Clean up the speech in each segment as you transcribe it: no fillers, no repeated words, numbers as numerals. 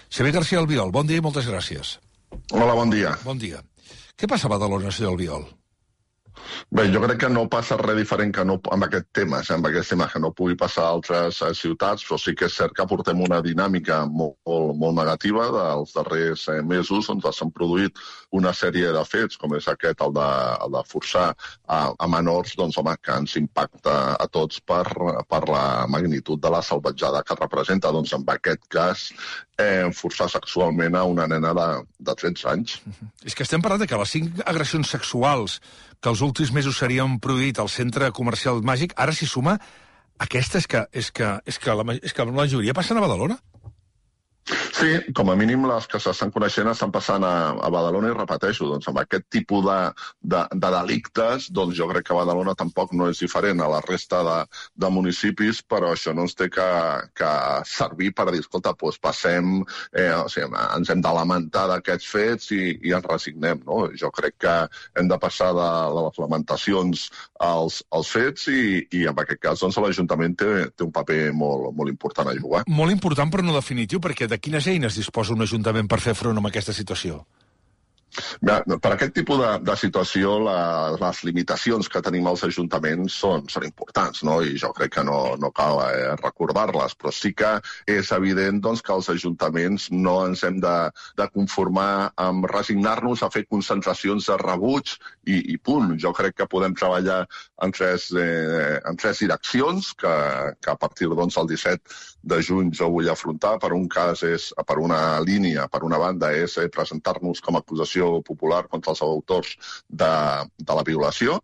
Xavier García Albiol, bon dia i moltes gràcies. Hola, bon dia. Bon dia. Què passa a Badalona, senyor Albiol? Bé, jo crec que no passa res diferent que no, amb aquest tema, que no pugui passar a altres ciutats, però sí que és cert que portem una dinàmica molt negativa dels darrers mesos, on s'han produït una sèrie de fets, com és aquest, el de forçar a menors, doncs, home, que ens impacta a tots per la magnitud de la salvatjada que representa, doncs, en aquest cas, forçar sexualment a una nena de 13 anys. És que estem parlant de que les 5 agressions sexuals que els últims mesos s'havien produït al centre comercial Màgic, ara s'hi suma aquesta, és que la majoria passen a Badalona? Sí, com a mínim les que s'estan coneixent estan passant a Badalona i repeteixo, doncs amb aquest tipus de delictes, doncs jo crec que Badalona tampoc no és diferent a la resta de municipis, però això no ens té que servir per dir, escolta, doncs passem, ens hem de lamentar d'aquests fets i ens resignem, no? Jo crec que hem de passar de les lamentacions als fets i en aquest cas doncs l'Ajuntament té un paper molt important a jugar. Molt important però no definitiu, perquè de quines eines disposa un ajuntament per fer front a aquesta situació? Per aquest tipus de situació, les limitacions que tenim als ajuntaments són importants, no? I jo crec que no cal recordar-les, però sí que és evident doncs, que els ajuntaments no ens hem de conformar amb resignar-nos a fer concentracions de rebuig i punt. Jo crec que podem treballar en tres direccions que a partir del 17 de juny jo vull afrontar. Per un cas per una línia, per una banda, és presentar-nos com a acusació popular contra els autors de la violació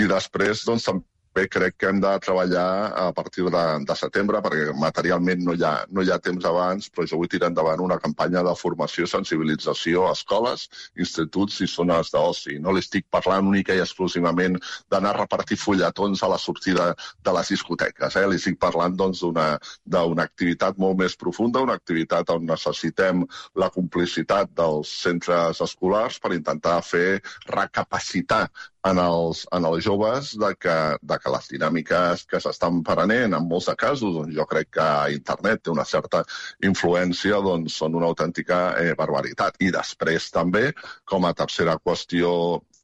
i després doncs també crec que hem de treballar a partir de setembre perquè materialment no hi ha temps abans, però jo vull tirar endavant una campanya de formació i sensibilització a escoles, instituts i zones d'oci. No li estic parlant única i exclusivament d'anar a repartir fulletons a la sortida de les discoteques. Li estic parlant doncs, d'una activitat molt més profunda, una activitat on necessitem la complicitat dels centres escolars per intentar fer recapacitar en els joves de que les dinàmiques que s'estan prenent en molts de casos, doncs jo crec que internet té una certa influència, doncs són una autèntica barbaritat. I després també, com a tercera qüestió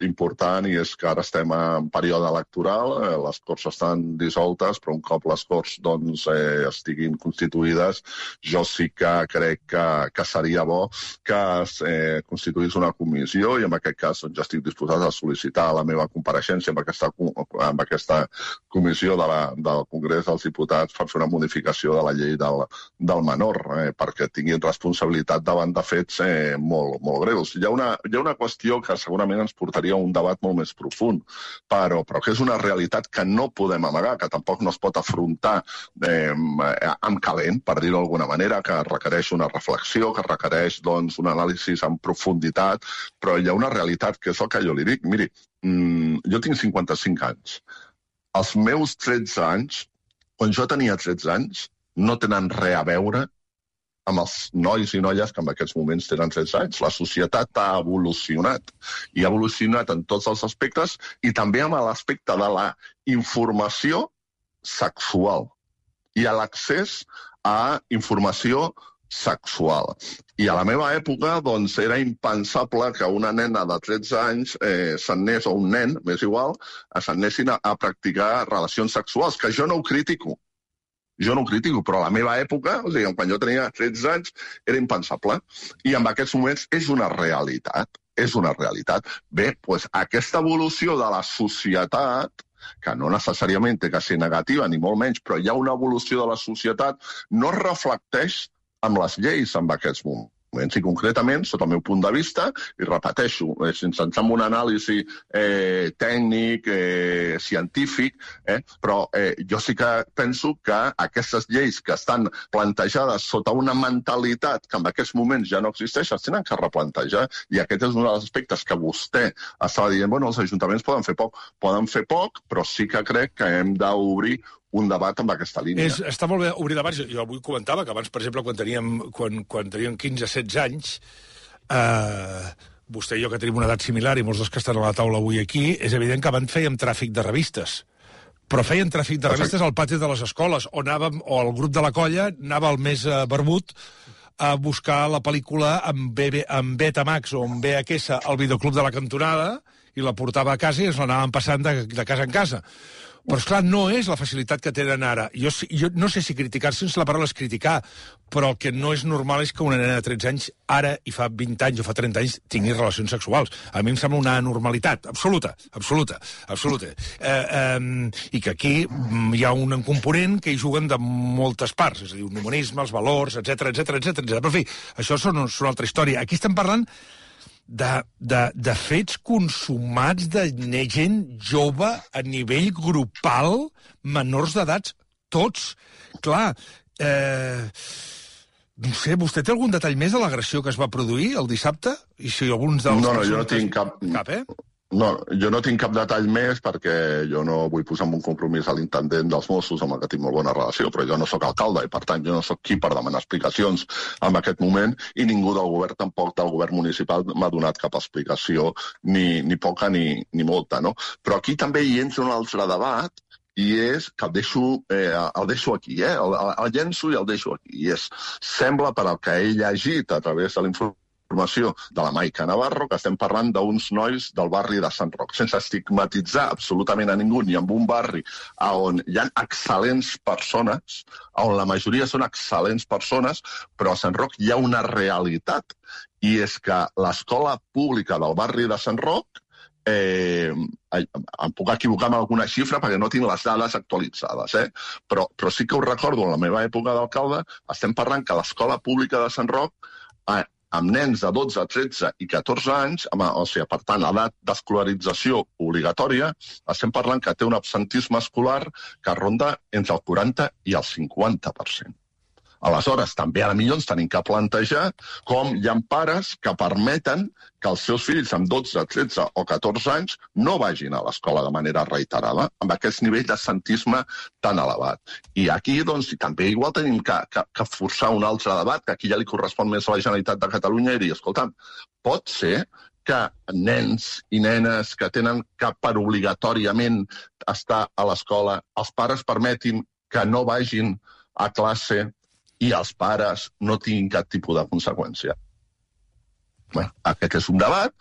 important, i és que ara estem en període electoral, les Corts estan dissoltes, però un cop les Corts doncs, estiguin constituïdes, jo sí que crec que seria bo que es constituís una comissió i en aquest cas doncs, ja estic disposat a sol·licitar la meva compareixença amb aquesta comissió del Congrés dels Diputats per fer una modificació de la llei del menor, perquè tinguin responsabilitat davant de fets molt greus. Hi ha una qüestió que segurament ens portaria a un debat molt més profund, però que és una realitat que no podem amagar, que tampoc no es pot afrontar amb calent, per dir-ho d'alguna manera, que requereix una reflexió, que requereix doncs, un anàlisi en profunditat, però hi ha una realitat que és el que jo li dic. Miri, jo tinc 55 anys. Els meus 13 anys, quan jo tenia 13 anys, no tenen res a veure amb els nois i noies que en aquests moments tenen 13 anys. La societat ha evolucionat, i ha evolucionat en tots els aspectes, i també amb l'aspecte de la informació sexual i a l'accés a informació sexual. I a la meva època doncs, era impensable que una nena de 13 anys s'anés, o un nen, m'és igual, s'anessin a practicar relacions sexuals, que jo no ho critico. Jo no ho critico, però a la meva època, o sigui, quan jo tenia 13 anys, era impensable. I en aquests moments és una realitat. És una realitat. Bé, doncs aquesta evolució de la societat, que no necessàriament té que ser negativa, ni molt menys, però hi ha una evolució de la societat, no es reflecteix amb les lleis en aquests moments. I concretament, sota el meu punt de vista, i repeteixo, sense entrar en un anàlisi tècnic, científic, però jo sí que penso que aquestes lleis que estan plantejades sota una mentalitat que en aquests moments ja no existeix, es tenen que replantejar, i aquest és un dels aspectes que vostè estava dient, bueno, els ajuntaments poden fer poc, però sí que crec que hem d'obrir un debat amb aquesta línia. Està molt bé obrir debats. Jo avui comentava que abans, per exemple, quan teníem 15-16 anys, vostè i jo que tenim una edat similar i molts dels que estan a la taula avui aquí, és evident que abans fèiem tràfic de revistes. Però feien tràfic de revistes al pati de les escoles, o el grup de la colla anava al més barbut a buscar la pel·lícula en Betamax o en VHS al videoclub de la cantonada i la portava a casa i es l'anaven passant de casa en casa. Però, esclar, no és la facilitat que tenen ara. Jo no sé si criticar, sense la paraula és criticar, però el que no és normal és que una nena de 13 anys, ara i fa 20 anys o fa 30 anys, tingui relacions sexuals. A mi em sembla una anormalitat absoluta. I que aquí hi ha un component que hi juguen de moltes parts, és a dir, un humanisme, els valors, etc. Però, en fi, això són una altra història. Aquí estem parlant de fets consumats de gent jove a nivell grupal, menors d'edats, tots. Clar, no sé, vostè té algun detall més de l'agressió que es va produir el dissabte? I si alguns dels... No, jo no tinc cap... No, jo no tinc cap detall més perquè jo no vull posar en un compromís a l'intendent dels Mossos amb el que tinc molt bona relació, però jo no sóc alcalde i, per tant, jo no sóc qui per demanar explicacions en aquest moment i ningú del govern, tampoc del govern municipal, m'ha donat cap explicació, ni poca ni molta, no? Però aquí també hi entra un altre debat i és que el deixo aquí, el llenço i el deixo aquí. I sembla, per al que he llegit a través de l'informació de la Maica Navarro, que estem parlant d'uns nois del barri de Sant Roc, sense estigmatitzar absolutament a ningú, ni en un barri on hi ha excel·lents persones, on la majoria són excel·lents persones, però a Sant Roc hi ha una realitat, i és que l'escola pública del barri de Sant Roc, em puc equivocar amb alguna xifra perquè no tinc les dades actualitzades, però sí que ho recordo, en la meva època d'alcalde, estem parlant que l'escola pública de Sant Roc, amb nens de 12, 13 i 14 anys, o sigui, per tant, edat d'escolarització obligatòria, estem parlant que té un absentisme escolar que ronda entre el 40 i el 50%. Aleshores, també a la millor ens tenim que plantejar com hi ha pares que permeten que els seus fills amb 12, 13 o 14 anys no vagin a l'escola de manera reiterada, amb aquest nivell d'absentisme tan elevat. I aquí, doncs, també igual tenim que forçar un altre debat, que aquí ja li correspon més a la Generalitat de Catalunya, i dir, escolta'm, pot ser que nens i nenes que tenen que per obligatòriament estar a l'escola, els pares permetin que no vagin a classe i els pares no tinguin cap tipus de conseqüència. Bé, aquest és un debat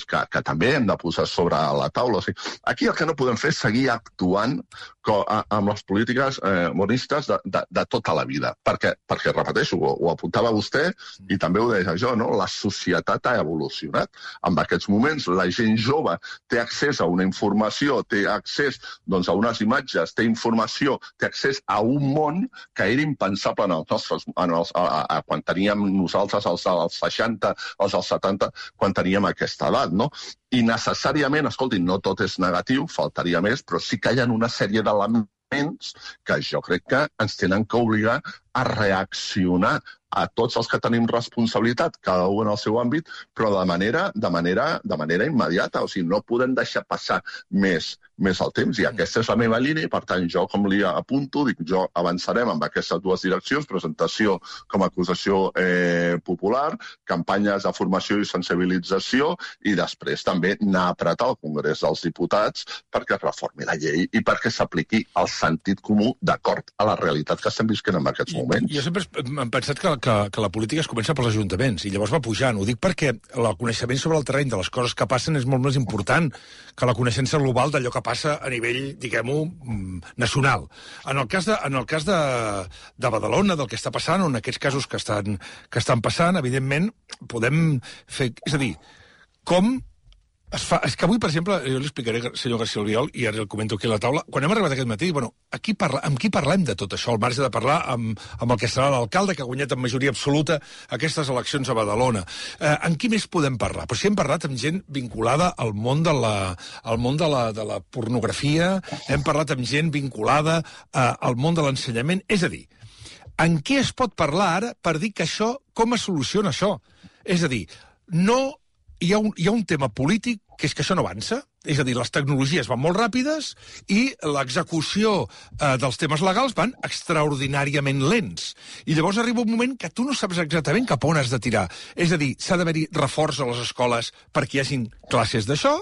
que també hem de posar sobre la taula. O sigui, aquí el que no podem fer és seguir actuant amb les polítiques monistes de tota la vida. Perquè repeteixo, ho apuntava vostè i també ho deia jo, no? La societat ha evolucionat. En aquests moments la gent jove té accés a una informació, té accés a unes imatges, té informació, té accés a un món que era impensable quan teníem nosaltres els 60, els 70, quan teníem aquesta edat, no? I necessàriament, escolti, no tot és negatiu, faltaria més, però sí que hi ha una sèrie d'elements que jo crec que ens tenen que obligar a reaccionar a tots els que tenim responsabilitat, cada un en el seu àmbit, però de manera immediata. O sigui, no podem deixar passar més el temps, i aquesta és la meva línia, i per tant jo, com li apunto, jo avançarem amb aquestes dues direccions, presentació com a acusació popular, campanyes de formació i sensibilització, i després també anar a apretar al Congrés dels Diputats perquè es reformi la llei i perquè s'apliqui el sentit comú d'acord a la realitat que estem visquent en aquests moments. Jo sempre he pensat que la política es comença pels ajuntaments, i llavors va pujant. Ho dic perquè el coneixement sobre el terreny de les coses que passen és molt més important que la coneixença global d'allò que passa a nivell, diguem-ho, nacional. En el cas de Badalona, del que està passant, o en aquests casos que estan passant, evidentment, podem fer... És a dir, com es fa... És que avui, per exemple, jo li explicaré, senyor García Albiol, i ara el comento aquí a la taula, quan hem arribat aquest matí, bueno, amb qui parlem de tot això, al marge de parlar amb el que serà l'alcalde, que ha guanyat en majoria absoluta aquestes eleccions a Badalona. En qui més podem parlar? Però si hem parlat amb gent vinculada al món de la pornografia, hem parlat amb gent vinculada al món de l'ensenyament, és a dir, en què es pot parlar ara per dir que això, com es soluciona això? És a dir, no hi ha un tema polític que és que això no avança, És a dir, les tecnologies van molt ràpides i l'execució dels temes legals van extraordinàriament lents. I llavors arriba un moment que tu no saps exactament cap on has de tirar. És a dir, s'ha d'haver-hi reforç a les escoles perquè hi hagin classes d'això.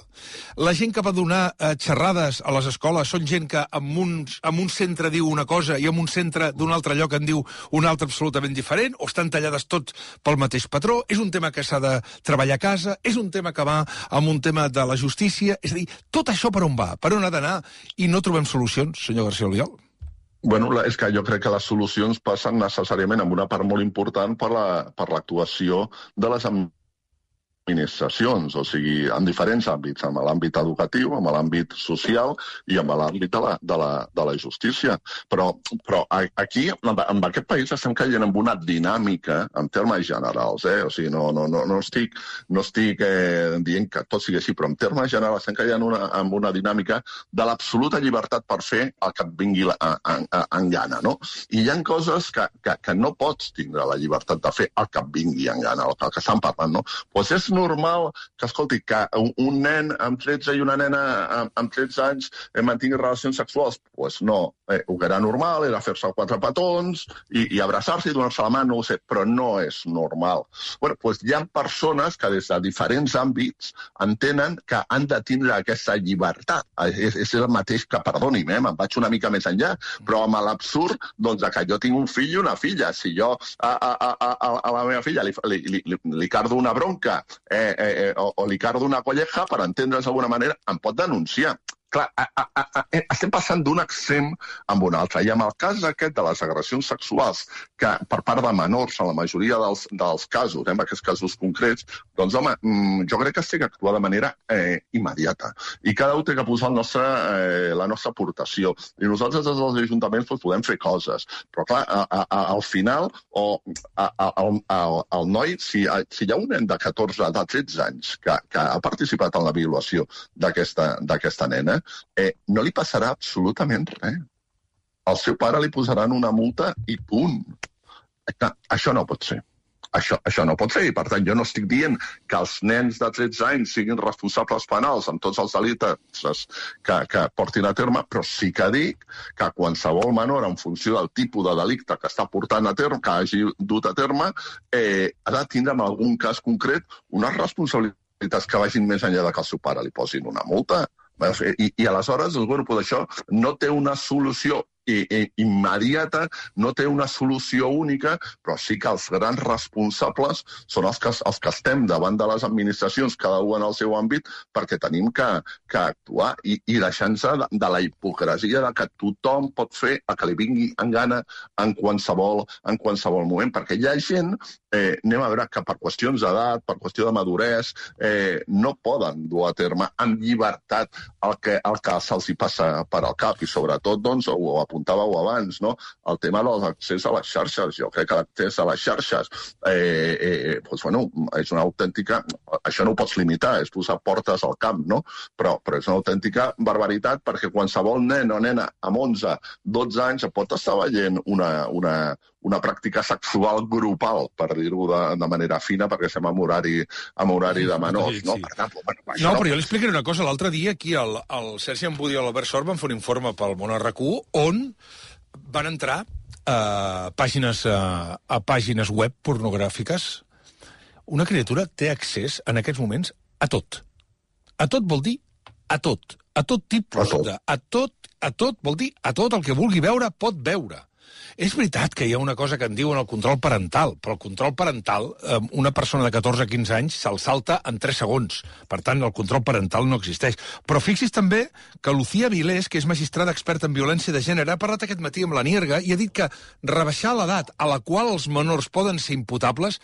La gent que va donar xerrades a les escoles són gent que en un centre diu una cosa i en un centre d'un altre lloc en diu una altra absolutament diferent, o estan tallades tots pel mateix patró. És un tema que s'ha de treballar a casa, és un tema que va amb un tema de la justícia. És a dir, tot això per on va? Per on ha d'anar? I no trobem solucions, senyor García Albiol. Bueno, és que jo crec que les solucions passen necessàriament amb una part molt important per l'actuació de les administracions, o sigui, en diferents àmbits, amb l'àmbit educatiu, amb l'àmbit social i amb l'àmbit de la justícia. Però aquí, en aquest país, estem caient en una dinàmica, en termes generals, o sigui, no estic dient que tot sigui així, però en termes generals estem caient en una dinàmica de l'absoluta llibertat per fer el que et vingui en gana, no? I hi ha coses que no pots tindre la llibertat de fer el que et vingui en gana, el que estan parlant, no? Doncs és normal que, escolti, que un nen amb 13 i una nena amb 13 anys mantingui relacions sexuals. Doncs no, el que era normal era fer-se 4 petons i abraçar-se i donar-se la mà, no ho sé, però no és normal. Bueno, doncs hi ha persones que des de diferents àmbits entenen que han de tindre aquesta llibertat. És el mateix que, perdoni'm, me'n vaig una mica més enllà, però amb l'absurd doncs, que jo tinc un fill i una filla. Si jo a la meva filla li cardo una bronca o li cardo una colleja, per entendre's d'alguna manera, em pot denunciar. Clar, estem passant d'un extrem amb un altre. I amb el cas aquest de les agressions sexuals, que per part de menors, en la majoria dels casos, en aquests casos concrets, doncs, home, jo crec que s'ha d'actuar de manera immediata. I cada un té que posar la nostra aportació. I nosaltres, des dels ajuntaments, podem fer coses. Però, clar, al final, el noi, si hi ha un nen de 14, de 13 anys que ha participat en la violació d'aquesta nena, no li passarà absolutament res. Al seu pare li posaran una multa i punt. Això no pot ser. Això no pot ser, i per tant jo no estic dient que els nens de 13 anys siguin responsables penals amb tots els delictes que portin a terme, però sí que dic que qualsevol menor, en funció del tipus de delicte que està portant a terme, que hagi dut a terme, ha de tindre en algun cas concret unes responsabilitats que vagin més enllà de que el seu pare li posin una multa. I aleshores el grup d'això no té una solució immediata, no té una solució única, però sí que els grans responsables són els que estem davant de les administracions, cada un en el seu àmbit, perquè tenim que actuar i deixar-nos de la hipocresia de que tothom pot fer el que li vingui en gana en qualsevol moment, perquè hi ha gent, anem a veure, que per qüestions d'edat, per qüestió de maduresa, no poden dur a terme amb llibertat el que se'ls hi passa per al cap, i sobretot, doncs, ho apuntàveu abans, no? El tema de l'accés a les xarxes. Jo crec que l'accés a les xarxes és una autèntica... Això no ho pots limitar, és posar portes al camp, no? Però és una autèntica barbaritat, perquè qualsevol nen o nena amb 11, 12 anys pot estar veient una pràctica sexual grupal, per dir-ho de manera fina, perquè estem en horari de menors, no? Per tant, no, però jo li explicaré una cosa. L'altre dia aquí el Sergi Embudi i l'Albert Sort van fer un informe pel Món RQ on van entrar a pàgines web pornogràfiques. Una criatura té accés en aquests moments a tot. A tot vol dir a tot. A tot tipus de... A tot vol dir a tot. El que vulgui veure pot veure. És veritat que hi ha una cosa que en diuen el control parental, però el control parental, una persona de 14 a 15 anys se'l salta en 3 segons. Per tant, el control parental no existeix. Però fixi's també que Lucía Vilés, que és magistrada experta en violència de gènere, ha parlat aquest matí amb la Nierga i ha dit que rebaixar l'edat a la qual els menors poden ser imputables,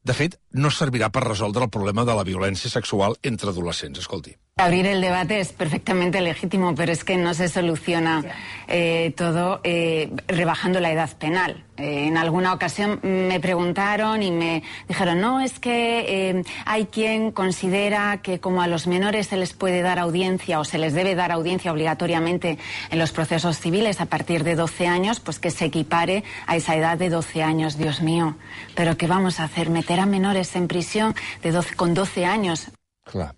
de fet, no servirà per resoldre el problema de la violència sexual entre adolescents. Escolti. Abrir el debate es perfectamente legítimo, pero es que no se soluciona todo rebajando la edad penal. En alguna ocasión me preguntaron y me dijeron, no, es que hay quien considera que como a los menores se les puede dar audiencia o se les debe dar audiencia obligatoriamente en los procesos civiles a partir de 12 años, pues que se equipare a esa edad de 12 años. Dios mío, ¿pero qué vamos a hacer? ¿Meter a menores en prisión con 12 años? Clar.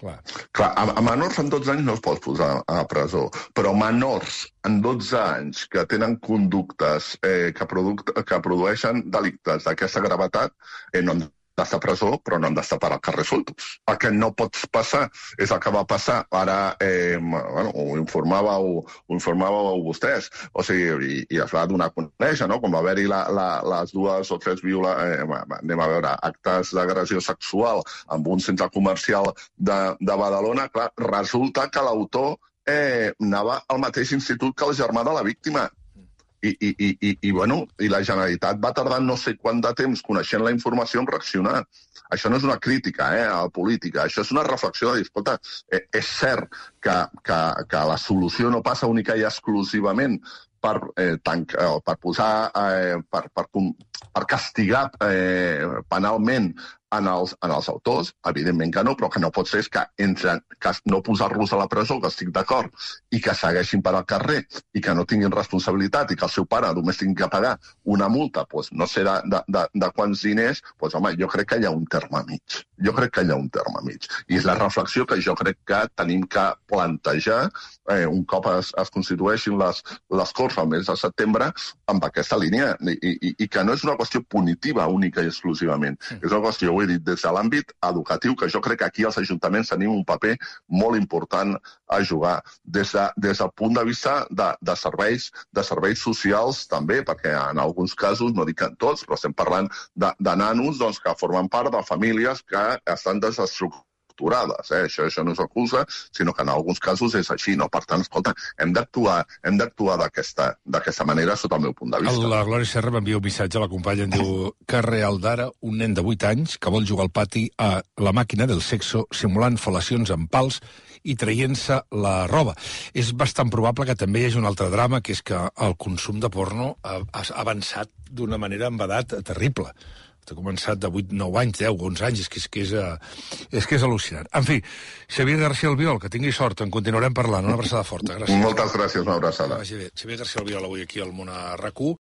Clar, a menors en 12 anys no es pot posar a presó, però menors en 12 anys que tenen conductes que produeixen delictes d'aquesta gravetat no han d'estar a presó, però no han d'estar per al carrer soltos. El que no pots passar és el que va passar. Ara, ho informàveu vostès, o sigui, i es va donar a conèixer, no?, com va haver-hi les 2 o 3 actes d'agressió sexual en un centre comercial de Badalona. Clar, resulta que l'autor anava al mateix institut que el germà de la víctima. I la Generalitat va tardar no sé quant de temps coneixent la informació en reaccionar. Això no és una crítica a la política, això és una reflexió de dir, escolta, és cert que la solució no passa única i exclusivament per castigar penalment en els autors, evidentment que no, però que no pot ser que no posar-los a la presó, que estic d'acord, i que segueixin per al carrer, i que no tinguin responsabilitat, i que el seu pare només tingui que pagar una multa, no sé de quants diners, home, jo crec que hi ha un terme mig. I és la reflexió que jo crec que tenim que plantejar un cop es constitueixin les Corts al mes de setembre amb aquesta línia, i que no és una qüestió punitiva única i exclusivament. És una qüestió, ho he dit, des de l'àmbit educatiu, que jo crec que aquí els ajuntaments tenim un paper molt important a jugar. Des del punt de vista de serveis socials també, perquè en alguns casos, no dic en tots, però estem parlant de nanos que formen part de famílies que estan desestructurades. Això no és excusa, sinó que en alguns casos és així, no? Per tant, escolta, hem d'actuar d'aquesta manera sota el meu punt de vista. La Glòria Serra m'envia un missatge a la companya, em diu que real d'ara, un nen de 8 anys que vol jugar al pati a la màquina del sexo simulant fel·lacions amb pals i traient-se la roba. És bastant probable que també hi hagi un altre drama, que és que el consum de porno ha avançat d'una manera amb edat terrible. Ha començat de 8, 9 anys, 10, 11 anys, és que és al·lucinant. En fi, Xavier García Albiol, que tingui sort, en continuarem parlant. Una abraçada forta. Gràcies. Moltes gràcies, una abraçada. Xavier García Albiol avui aquí al Món a RAC1.